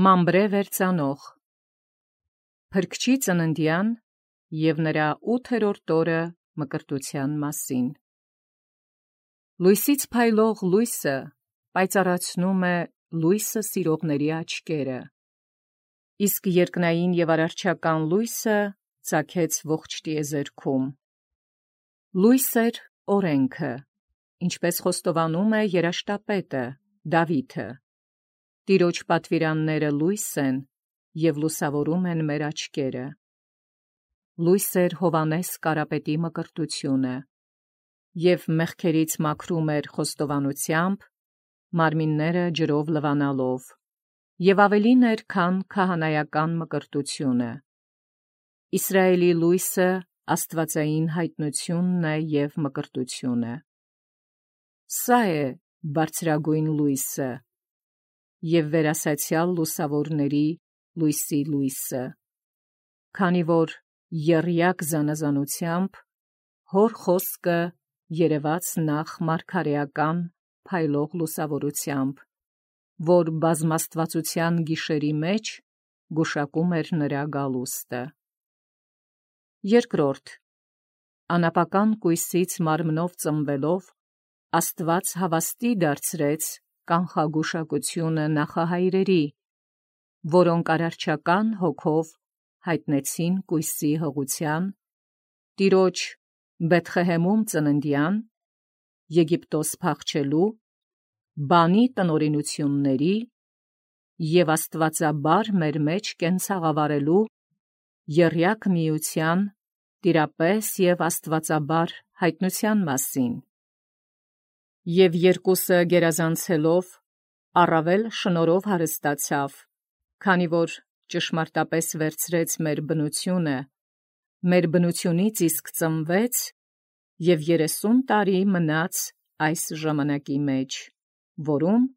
Մամբրե վերծանող Փրկչի ծննդյան և նրա 8-րդ օրը մկրտության մասին։ Լույսից փայլող լույսը պայծառացնում է լույսը սիրողների աչքերը, իսկ երկնային և արարչական լույսը ծագեց ողջ տիեզերքում։ Լույս էր օրենքը, ինչպես խոստովանում է երաշտապետը Դավիթը. Տիրոջ պատվիրանները լույս են և լուսավորում են մեր աչքերը։ Լույս էր Հովհաննես Կարապետի մկրտությունը, և մեղքերից մաքրում էր խոստովանությամբ, մարմինները ջրով լվանալով, և ավելին էր, քան քահանայական մկրտությունը։ Իսրայելի լույսը աստվածային հայտնությունն է և մկրտությունը։ Սա է բարձրագույն լույսը և վերասացյալ լուսավորների լույսի լույսը, քանի որ եռյակ զանազանությամբ հոր խոսքը երևաց նախ մարգարեական փայլող լուսավորությամբ, որ բազմաստվածության գիշերի մեջ գուշակում էր նրա գալուստը։ Երկրորդ, անապական կույսից մարմնով ծնվելով, Աստված հավաստի դարձրեց կանխագուշակությունը նախահայրերի, որոնք արարչական հոգով հայտնեցին կույսի հղության, Տիրոջ Բեթղեհեմում ծննդյան, Եգիպտոս փախչելու, բանի տնօրինությունների և աստվածաբար մեր մեջ կենցաղավարելու եռյակ միության, տիրապես և աստվածաբար հայտնության մասին։ Եվ երկուսը գերազանցելով առավել շնորհով հարստացավ, քանի որ ճշմարտապես վերցրեց մեր բնությունը, մեր բնությունից իսկ ծնվեց և 30 տարի մնաց այս ժամանակի մեջ, որում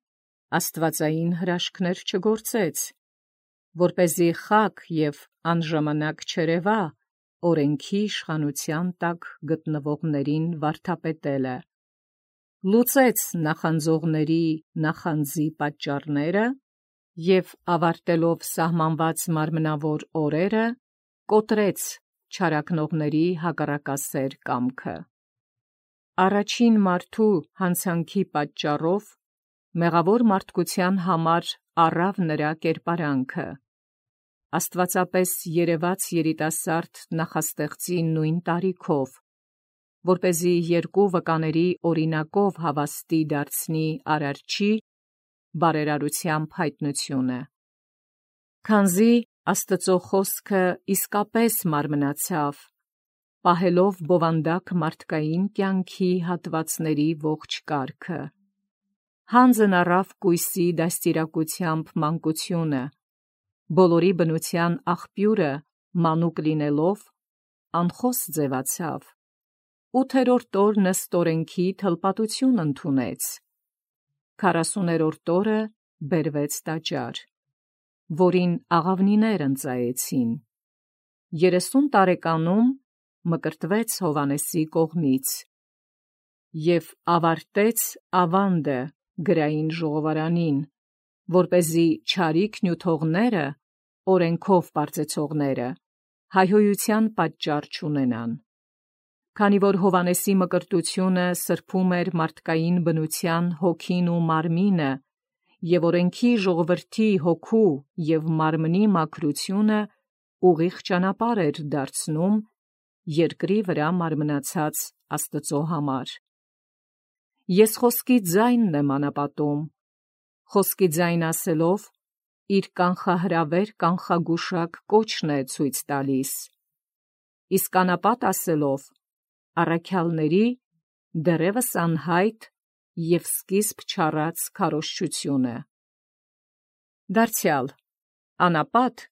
աստվածային հրաշքներ չգործեց, որպեսզի խակ և անժամանակ չերևա օրենքի իշխանության տակ գտնվողներին վարդապետելը, լուծեց նախանձողների նախանձի պատճառները և ավարտելով սահմանված մարմնավոր օրերը, կոտրեց չարաքնողների հակառակասեր կամքը։ Առաջին մարդու հանցանքի պատճառով մեղավոր մարդկության համար առավ նրա կերպարանքը, աստվածապես երևաց երիտասարդ նախաստեղծի նույն տարիքով, որպեսզի երկու վկաների օրինակով հավաստի դարձնի արարչի բարերարությամբ հայտնությունը։ Քանզի Աստծո խոսքը իսկապես մարմնացավ, պահելով բովանդակ մարդկային կյանքի հատվածների ողջ կարգը, հանձն առավ կույսի դաստիարակությամբ մանկությունը, բոլորի բնության աղբյուրը մանուկ լինելով, անխոս ձևացավ, 8-րդ օրն ըստ օրենքի թլպատություն ընդունեց, 40-րդ օրը բերվեց տաճար, որին աղավնիներ ընծայեցին, 30 տարեկանում մկրտվեց Հովհաննեսի կողմից և ավարտեց ավանդը գրային ժողովարանին, որպեսզի չարիք նյութողները, օրենքով պարծեցողները, հայհոյության պատճառ չունենան։ Քանի որ Հովհաննեսի մկրտությունը սրբում էր մարդկային բնության հոգին ու մարմինը, և օրենքի ժողովրդի հոգու և մարմնի մաքրությունը ուղիղ ճանապարհ էր դարձնում երկրի վրա մարմնացած Աստծո համար։ Ես խոսքի ձայնն եմ անապատում, խոսքի ձայն ասելով, իր կանխահրավեր կանխագուշակ կոչն է ցույց տալիս, իսկ անապատ ասելով, առաքյալների դեռևս անհայտ և սկիզբ չառած քարոզչությունը։ Դարձյալ, անապատ,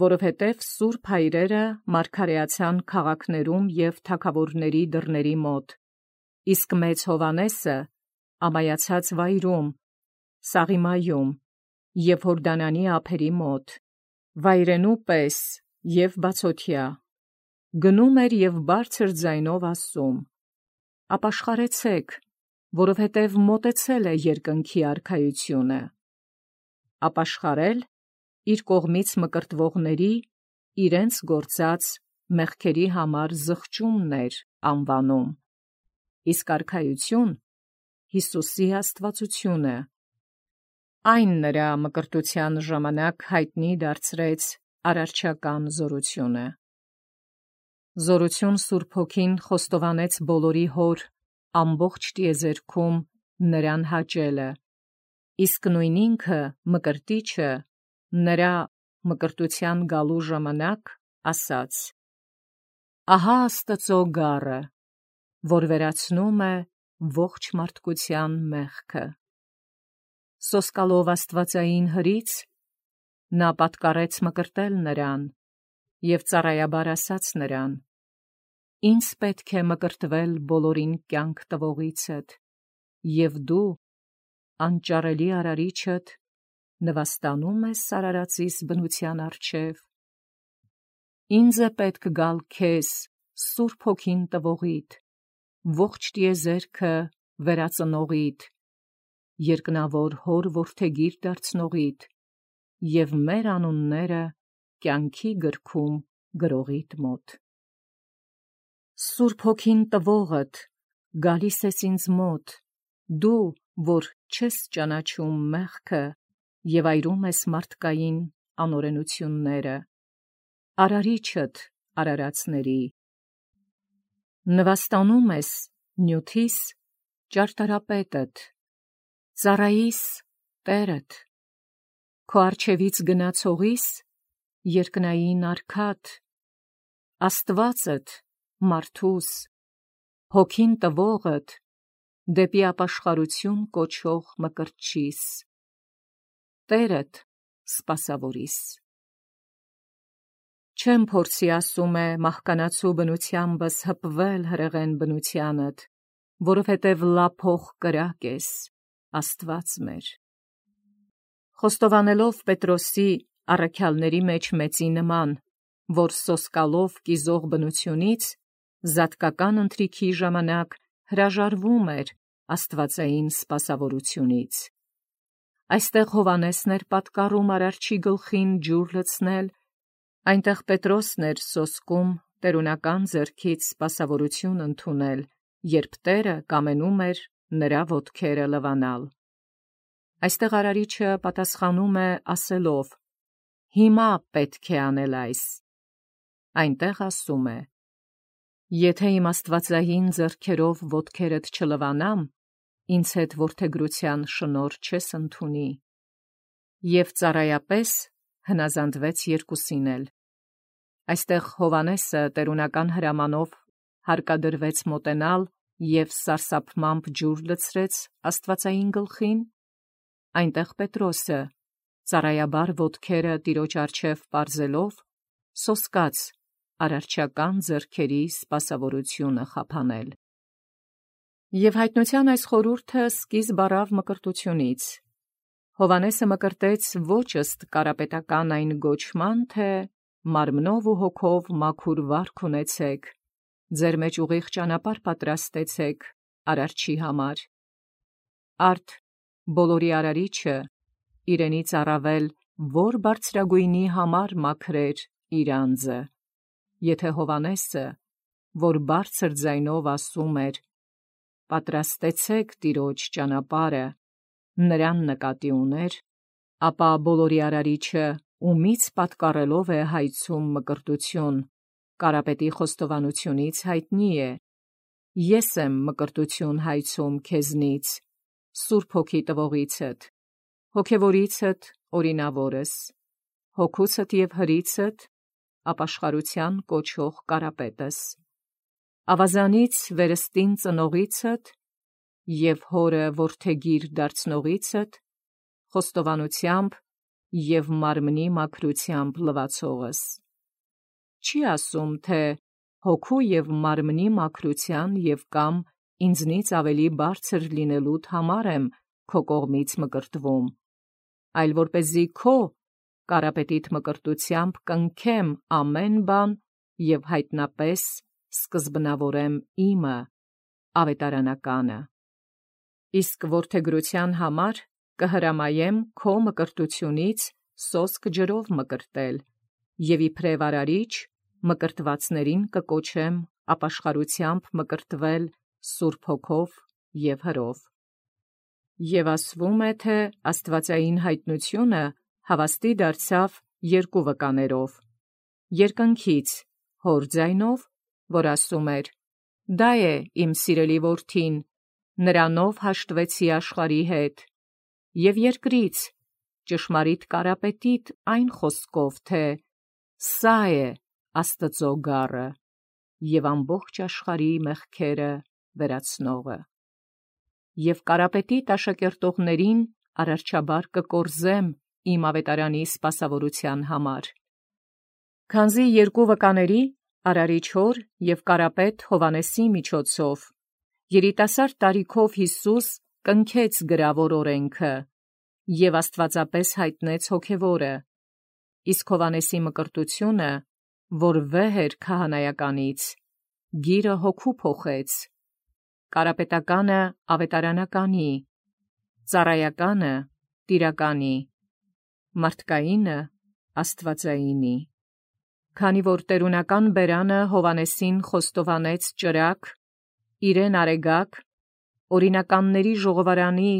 որովհետև սուրբ հայրերը մարգարեացան քաղաքներում և թագավորների դռների մոտ, իսկ մեծ Հովհաննեսը ամայացած վայրում, Սաղիմայում և Հորդանանի ափերի մոտ, վայրենու պես և բացօթյա, գնում էր և բարձր ձայնով ասում. «Ապաշխարեցեք, որովհետև մոտեցել է երկնքի արքայությունը»։ Ապաշխարել իր կողմից մկրտվողների իրենց գործած մեղքերի համար զղջումներ անվանում, իսկ արքայություն Հիսուսի աստվածությունը, այն նրա մկրտության ժամանակ հայտնի դարձրեց արարչական զորությունը։ Զորություն Սուրբ Հոգին խոստովանեց բոլորի հոր ամբողջ տիեզերքում նրան հաճելը, իսկ նույն ինքը մկրտիչը նրա մկրտության գալու ժամանակ ասաց. «Ահա Աստծո գառը, որ վերացնում է ողջ մարդկության մեղքը»։ Սոսկալով աստվածային հրից նա պատկառեց մկրտել նրան և ծառայաբար ասաց նրան. «Ինձ պետք է մկրտվել բոլորին կյանք տվողիցդ, և դու, անճարելի արարիչդ, նվաստանո՞ւմ ես արարածիս բնության առջև։ Ինձ է պետք գալ քեզ Սուրբ Հոգին տվողիդ, ողջ տիեզերքը վերածնողիդ, երկնավոր հոր որդեգիր դարձնողիդ և մեր անունները կյանքի գրքում գրողիդ մոտ։ Սուրբ Հոգին տվողդ գալիս ես ինձ մոտ, դու, որ չես ճանաչում մեղքը և այրում ես մարդկային անօրենությունները, արարիչդ արարածների, նվաստանում ես նյութիս ճարտարապետդ, ծառայիս Տերդ, քո առջևից գնացողիս երկնային արքադ, Աստվածդ մարդուս, Հոգին տվողդ դեպի ապաշխարություն կոչող մկրտչիս, Տերդ սպասավորիս։ Չեմ փորձի, ասում է, մահկանացու բնությանբս հպվել հրեղեն բնությանդ, որովհետև լափող կրակ ես, Աստված մեր։ Խոստովանելով Պետրոսի առաքյալների մեջ մեծի նման, որ սոսկալով կիզող բնությունից զատկական ընթրիքի ժամանակ հրաժարվում էր աստվածային սպասավորությունից։ Այստեղ Հովհաննեսն էր պատկառում արարչի գլխին ջուր լցնել, այնտեղ Պետրոսն էր սոսկում տերունական ձեռքից սպասավորություն ընդունել, երբ Տերը կամենում էր նրա ոտքերը լվանալ։ Այստեղ արարիչը պատասխանում է ասելով. «Հիմա պետք է անել այս»։ Այնտեղ ասում է. «Եթե իմ աստվածային ձեռքերով ոտքերդ չլվանամ, ինձ հետ որդեգրության շնորհ չես ընդունի»։ Եվ ծառայապես հնազանդվեց երկուսին էլ։ Այստեղ Հովհաննեսը տերունական հրամանով հարկադրվեց մոտենալ և սարսափմամբ ջուր լցրեց աստվածային գլխին, այնտեղ Պետրոսը, ծառայաբար ոտքերը տիրոջ առջև պարզելով, սոսկաց արարչական ձեռքերի սպասավորությունը խափանել։ Եվ հայտնության այս խորհուրդը սկիզբ առավ մկրտությունից։ Հովհաննեսը մկրտեց ոչ ըստ կարապետական այն գոչման, թե մարմնով ու հոգով մաքուր վարք ունեցեք, ձեր մեջ ուղիղ ճանապարհ պատրաստեցեք արարչի համար։ Արդ բոլորի արարիչը իրենից առավել որ բարձրագույնի համար մաքրեր իր անձը, եթե Հովհաննեսը, որ բարձր ձայնով ասում էր. «Պատրաստեցեք տիրոջ ճանապարհը», նրան նկատի ուներ, ապա բոլորի արարիչը ումից պատկառելով է հայցում մկրտություն, Կարապետի խոստովանությունից հայտնի է. «Ես եմ մկրտություն հայցում քեզնից, Սուրբ Հոգի տվողիցդ, հոգևորիցդ օրինավորս, հոգուցդ և հրիցդ ապաշխարության կոչող Կարապետս, ավազանից վերստին ծնողիցդ և հորը որդեգիր դարձնողիցդ, խոստովանությամբ և մարմնի մաքրությամբ լվացողս»։ Չի ասում, թե հոգու և մարմնի մաքրության և կամ ինձնից ավելի բարձր լինելուդ համար եմ քո կողմից մկրտվում, այլ որպեսզի քո Կարապետիդ մկրտությամբ կնքեմ ամեն բան և հայտնապես սկզբնավորեմ իմը, ավետարանականը։ Իսկ որդեգրության համար կհրամայեմ քո մկրտությունից սոսկ ջրով մկրտել, և իբրև արարիչ մկրտվածներին կկոչեմ ապաշխարությամբ մկրտվել Սուրբ Հոգով և հրով։ Եվ ասվում է, թե աստվածային հայտնությունը հավաստի դարձավ երկու վկաներով. երկնքից հոր ձայնով, որ ասում էր. «Դա է իմ սիրելի որդին, նրանով հաշտվեցի աշխարհի հետ», և երկրից ճշմարիտ կարապետիտ այն խոսքով, թե «Սա է Աստծո գառը և ամբողջ աշխարհի մեղքերը վերացնողը»։ Եվ կարապետիտ աշակերտողներին արարչաբար կկորզեմ իմ ավետարանի սպասավորության համար։ Քանզի երկու վկաների Արարիչ հոր և կարապետ Հովհաննեսի միջոցով երիտասարդ տարիքով Յիսուս կնքեց գրավոր օրենքը և աստվածապես հայտնեց հոգևորը, իսկ Հովհաննեսի մկրտությունը, որ վեհ էր քահանայականից, գիրը հոգու փոխեց, կարապետականը ավետարանականի, ծառայականը տիրականի, մարդկայինը աստվածայինի։ Քանի որ տերունական բերանը Հովհաննեսին խոստովանեց ճրագ, իրեն արեգակ, օրինականների ժողովարանի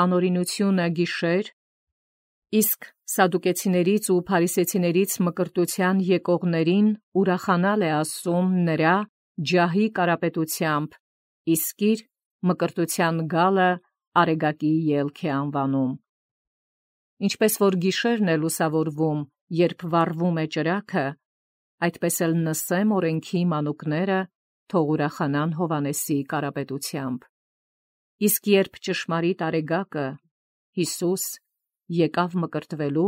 անօրինությունը գիշեր, իսկ սադուկեցիներից ու փարիսեցիներից մկրտության եկողներին ուրախանալ է ասում նրա ջահի կարապետությամբ, իսկ իր մկրտության գալը արեգակի ելք է անվանում։ Ինչպես որ գիշերն է լուսավորվում, երբ վառվում է ճրագը, այդպես էլ նսեմ օրենքի մանուկները թող ուրախանան Հովհաննեսի կարապետությամբ։ Իսկ երբ ճշմարիտ արեգակը Յիսուս եկավ մկրտվելու,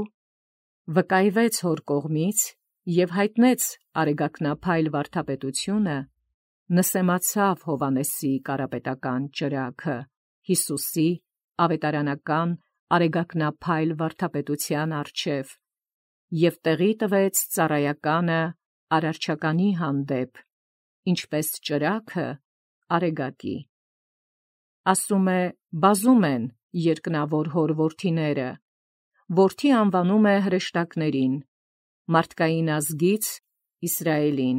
վկայվեց հոր կողմից և հայտնեց արեգակնափայլ վարդապետությունը, նսեմացավ Հովհաննեսի կարապետական ճրագը Յիսուսի ավետարանական արեգակնափայլ վարդապետության առջև և տեղի տվեց ծառայականը արարչականի հանդեպ, ինչպես ճրագը արեգակի։ Ասում է, բազում են երկնավոր հոր որդիները, որդի անվանում է հրեշտակներին, մարդկային ազգից Իսրայելին,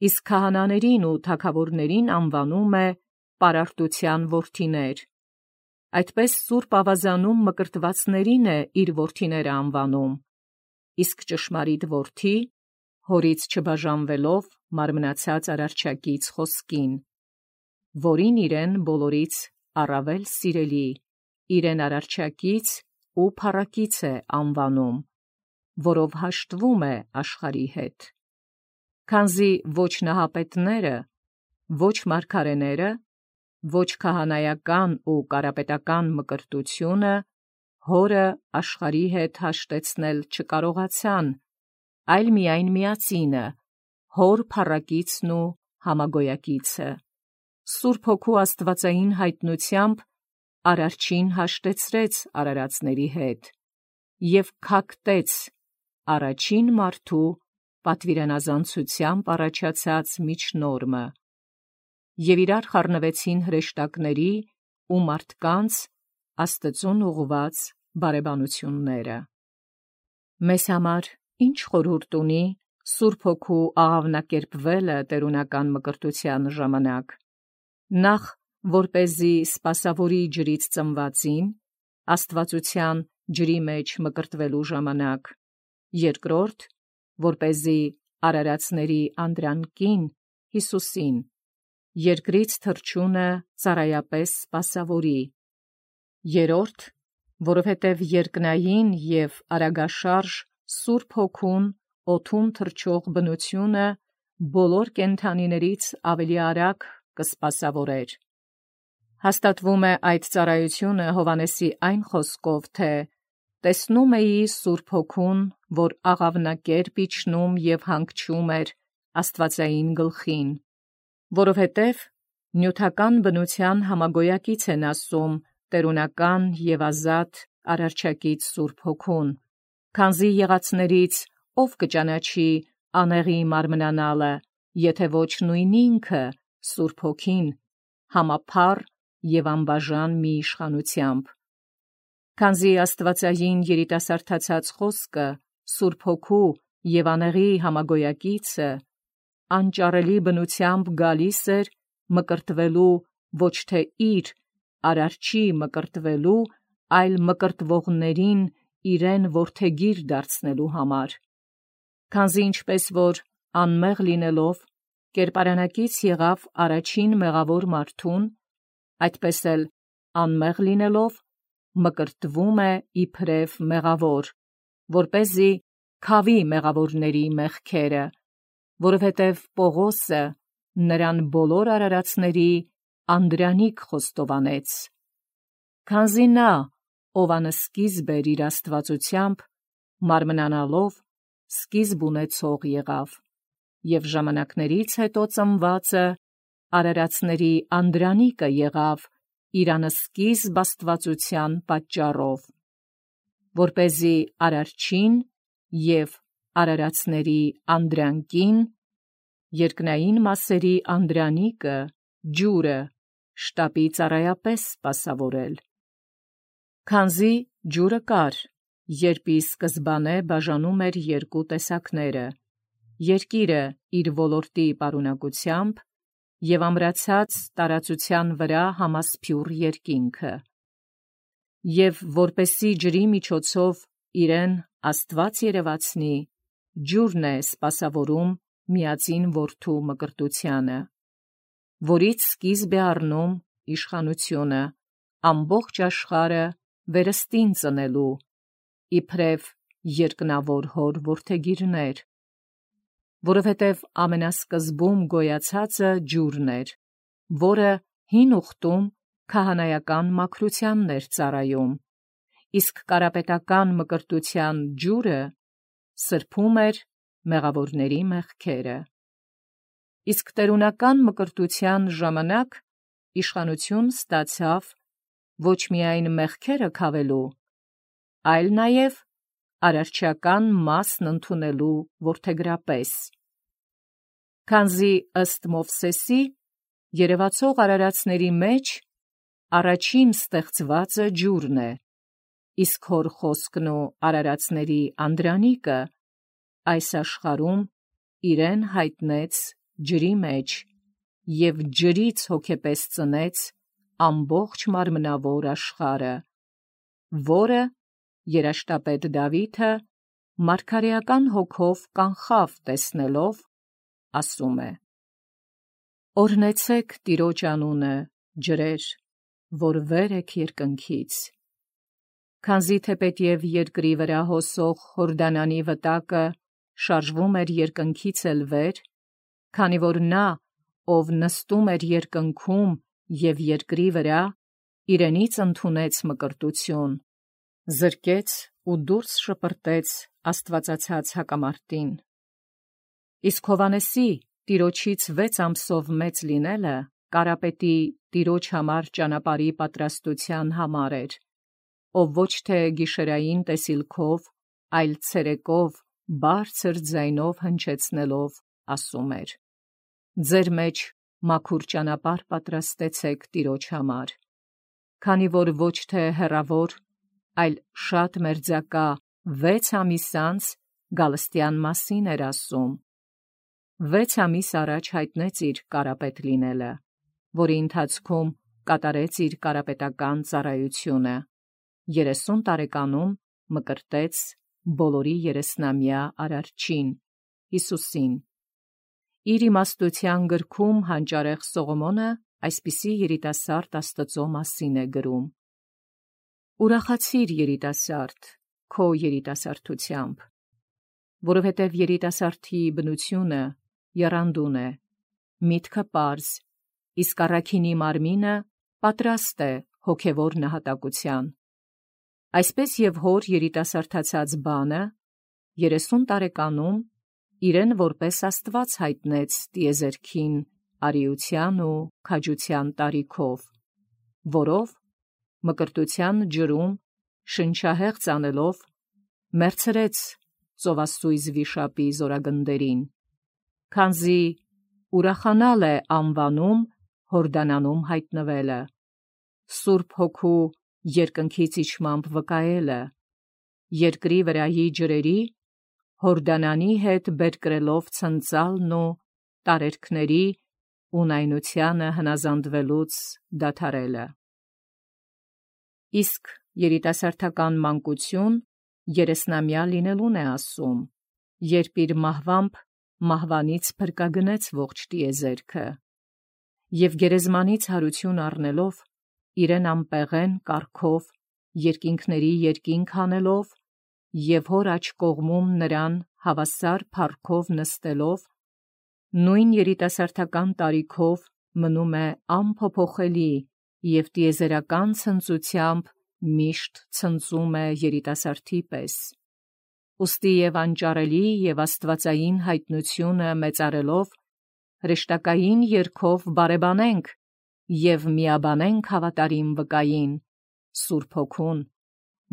իսկ քահանաներին ու թագավորներին անվանում է պարարտության որդիներ, այդպես սուրբ ավազանում մկրտվածներին է իր որդիները անվանում, իսկ ճշմարիտ որդի, հորից չբաժանվելով մարմնացած արարչակից խոսքին, որին իրեն բոլորից առավել սիրելի, իրեն արարչակից ու փառակից է անվանում, որով հաշտվում է աշխարհի հետ։ Քանզի ոչ նահապետները, ոչ մարգարեները, ոչ քահանայական ու կարապետական մկրտությունը հորը աշխարհի հետ հաշտեցնել չկարողացան, այլ միայն միածինը, հոր փառակիցն ու համագոյակիցը, Սուրբ Հոգու աստվածային հայտնությամբ արարչին հաշտեցրեց արարածների հետ և քակտեց առաջին մարդու պատվիրանազանցությամբ առաջացած միջնորմը, և իրար խառնվեցին հրեշտակների ու մարդկանց Աստծուն ուղղված բարեբանությունները։ Մեզ համար ի՞նչ խորհուրդ ունի Սուրբ Հոգու աղավնակերպվելը տերունական մկրտության ժամանակ։ Նախ, որպեսզի սպասավորի ջրից ծնվածին, աստվածության ջրի մեջ մկրտվելու ժամանակ, երկրորդ, որպեսզի արարածների անդրանկին Յիսուսին, երկրից թռչունը ծառայապես սպասավորի, երրորդ, որովհետև երկնային և արագաշարժ Սուրբ Հոգուն օդում թռչող բնությունը բոլոր կենդանիներից ավելի արագ կսպասավորեր։ Հաստատվում է այդ ծառայությունը Հովհաննեսի այն խոսքով, թե տեսնում էի Սուրբ Հոգուն, որ աղավնակերպ իջնում և հանգչում էր աստվածային գլխին, որովհետև նյութական բնության համագոյակից են ասում տերունական և ազատ արարչակից Սուրբ Հոգուն, քանզի եղածներից ով կճանաչի անեղի մարմնանալը, եթե ոչ նույն ինքը Սուրբ Հոգին, համափառ և անբաժան մի իշխանությամբ։ Քանզի աստվածային երիտասարդացած խոսքը Սուրբ Հոգու և անեղի համագոյակիցը անճարելի բնությամբ գալիս էր մկրտվելու ոչ թե իր արարչի մկրտվելու, այլ մկրտվողներին իրեն որդեգիր դարձնելու համար։ Քանզի ինչպես որ անմեղ լինելով կերպարանակից եղավ առաջին մեղավոր մարդուն, այդպես էլ անմեղ լինելով մկրտվում է իբրև մեղավոր, որպեսզի քավի մեղավորների մեղքերը, որովհետև Պողոսը նրան բոլոր արարածների անդրանիկ խոստովանեց։ Քանզի նա, ով անսկիզբ էր իր աստվածությամբ, մարմնանալով սկիզբ ունեցող եղավ, և ժամանակներից հետո ծնվածը արարածների անդրանիկը եղավ իր անսկիզբ աստվածության պատճառով, որպեսզի արարչին և արարածների անդրանկին, երկնային մասերի անդրանիկը, ջուրը, շտապի ծառայապես սպասավորել։ Քանզի ջուրը կար, երբ ի սկզբանե բաժանում էր երկու տեսակները, երկիրը իր ոլորտի պարունակությամբ և ամրացած տարածության վրա համասփյուռ երկինքը, և որպեսզի ջրի միջոցով իրեն Աստված երևացնի, ջուրն է սպասավորում միածին Որդու մկրտությանը, որից սկիզբ է առնում իշխանությունը ամբողջ աշխարհը վերստին ծնելու, իբրև երկնավոր հոր որդեգիրներ, որովհետև ամենասկզբում գոյացածը ջուրն էր, որը հին ուխտում քահանայական մաքրությանն էր ծառայում, իսկ կարապետական մկրտության ջուրը սրբում էր մեղավորների մեղքերը։ Իսկ տերունական մկրտության ժամանակ իշխանություն ստացավ ոչ միայն մեղքերը քավելու, այլ նաև արարչական մասն ընդունելու որդեգրապես։ Քանզի ըստ Մովսեսի երևացող արարածների մեջ առաջին ստեղծվածը ջուրն է, իսկ հոր խոսքն ու արարածների անդրանիկը այս աշխարհում իրեն հայտնեց ջրի մեջ և ջրից հոգեպես ծնեց ամբողջ մարմնավոր աշխարհը, որը երաշտապետ Դավիթը մարգարեական հոգով կանխավ տեսնելով, ասում է. «Օրհնեցեք Տիրոջ անունը, ջրեր, որ վեր եք երկնքից, քանզի թեպետև երկրի վրա հոսող Հորդանանի վտակը շարժվում էր երկնքից էլ վեր, քանի որ նա, ով նստում էր երկնքում և երկրի վրա, իրենից ընդունեց մկրտություն, զրկեց ու դուրս շպրտեց աստվածացած հակամարտին։ Իսկ Հովհաննեսի Տիրոջից 6 ամսով մեծ լինելը կարապետի Տիրոջ համար ճանապարհի պատրաստության համար էր, ով ոչ թե գիշերային տեսիլքով, այլ ցերեկով բարձր ձայնով հնչեցնելով ասում էր. «Ձեր մեջ մաքուր ճանապարհ պատրաստեցեք Տիրոջ համար, քանի որ ոչ թե հեռավոր, այլ շատ մերձակա 6 ամիս անց գալստյան մասին էր ասում։ 6 ամիս առաջ հայտնեց իր կարապետ լինելը, որի ընթացքում կատարեց իր կարապետական ծառայությունը, 30 տարեկանում մկրտեց բոլորի 30-ամյա արարչին, Հիսուսին։ Իր իմաստության գրքում հանճարեղ Սողոմոնը այսպիսի երիտասարդ Աստծո մասին է գրում. «Ուրախացիր, երիտասարդ, քո երիտասարդությամբ, որովհետև երիտասարդի բնությունը եռանդուն է, միտքը պարզ, իսկ առաքինի մարմինը պատրաստ է հոգևոր նահատակության։ Այսպես և հոր երիտասարդացած բանը 30 տարեկանում իրեն որպես Աստված հայտնեց տիեզերքին արիության ու քաջության տարիքով, որով մկրտության ջրում շնչահեղձ անելով մերձրեց ծովասույզ վիշապի զորագնդերին, քանզի ուրախանալ է անվանում Հորդանանում հայտնվելը, Սուրբ Հոգու երկնքից իջմամբ վկայելը, երկրի վրայի ջրերի, Հորդանանի հետ բերկրելով ցնծալն ու տարերքների ունայնությանը հնազանդվելուց դադարելը։ Իսկ երիտասարդական մանկություն երեսնամյա լինելուն է ասում, երբ իր մահվամբ մահվանից փրկագնեց ողջ տիեզերքը, և գերեզմանից հարություն առնելով, իրեն ամպեղեն կարգով երկինքների երկինք հանելով, և հոր աջ կողմում նրան հավասար փառքով նստելով, նույն երիտասարդական տարիքով մնում է անփոփոխելի և տիեզերական ցնծությամբ միշտ ցնծում է երիտասարդի պես։ Ուստի և անճարելի և աստվածային հայտնությունը մեծարելով, հրեշտակային երգով բարեբանենք և միաբանենք հավատարիմ վկային, Սուրբ Հոգուն,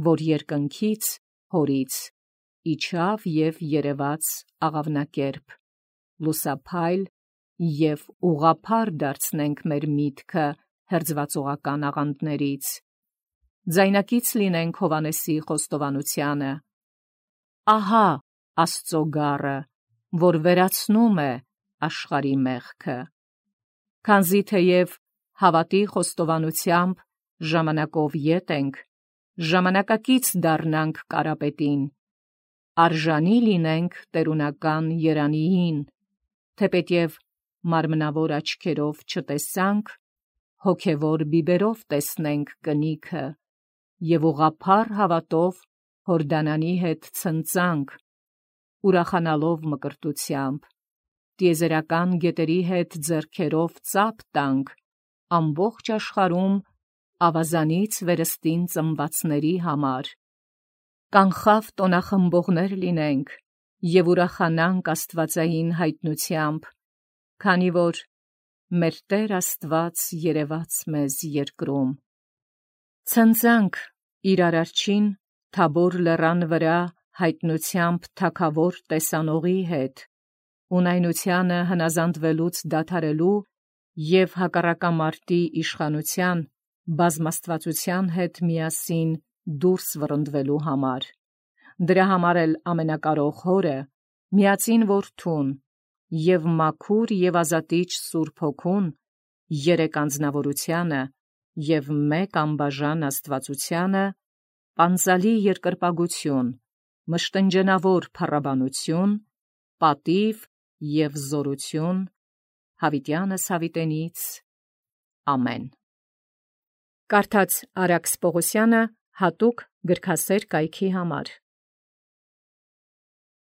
որ երկնքից հորից իջավ և երևաց աղավնակերպ, լուսափայլ և ուղղափառ դարձնենք մեր միտքը հերձվածողական աղանդներից։ Ձայնակից լինենք Հովհաննեսի խոստովանությանը. «Ահա Աստծո գառը, որ վերացնում է աշխարհի մեղքը»։ Քանզի թեև հավատի խոստովանությամբ ժամանակով ետ ենք, ժամանակակից դառնանք Կարապետին, արժանի լինենք տերունական երանիին, թեպետև մարմնավոր աչքերով չտեսանք, հոգևոր բիբերով տեսնենք կնիքը, և ուղղափառ հավատով Հորդանանի հետ ցնծանք, ուրախանալով մկրտությամբ, տիեզերական գետերի հետ ձեռքերով ծափ տանք ամբողջ աշխարհում ավազանից վերստին ծնվածների համար, կանխավ տոնախմբողներ լինենք և ուրախանանք աստվածային հայտնությամբ, քանի որ մեր Տեր Աստված երևաց մեզ երկրում։ Ցնծանք իր Արարչին Թաբոր լեռան վրա հայտնությամբ թագավոր տեսանողի հետ, ունայնությանը հնազանդվելուց դադարելու և հակառակամարտի իշխանության, բազմաստվածության հետ միասին դուրս վռնդվելու համար։ Դրա համար էլ ամենակարող Հորը, միածին Որդուն և մաքուր և ազատիչ Սուրբ Հոգուն, երեք անձնավորությանը և մեկ անբաժան աստվածությանը, պանծալի երկրպագություն, մշտնջենավոր փառաբանություն, պատիվ և զորություն հավիտյանս հավիտենից։ Ամեն։ Կարդաց Արաքս Պողոսյանը հատուկ գրքասեր կայքի համար։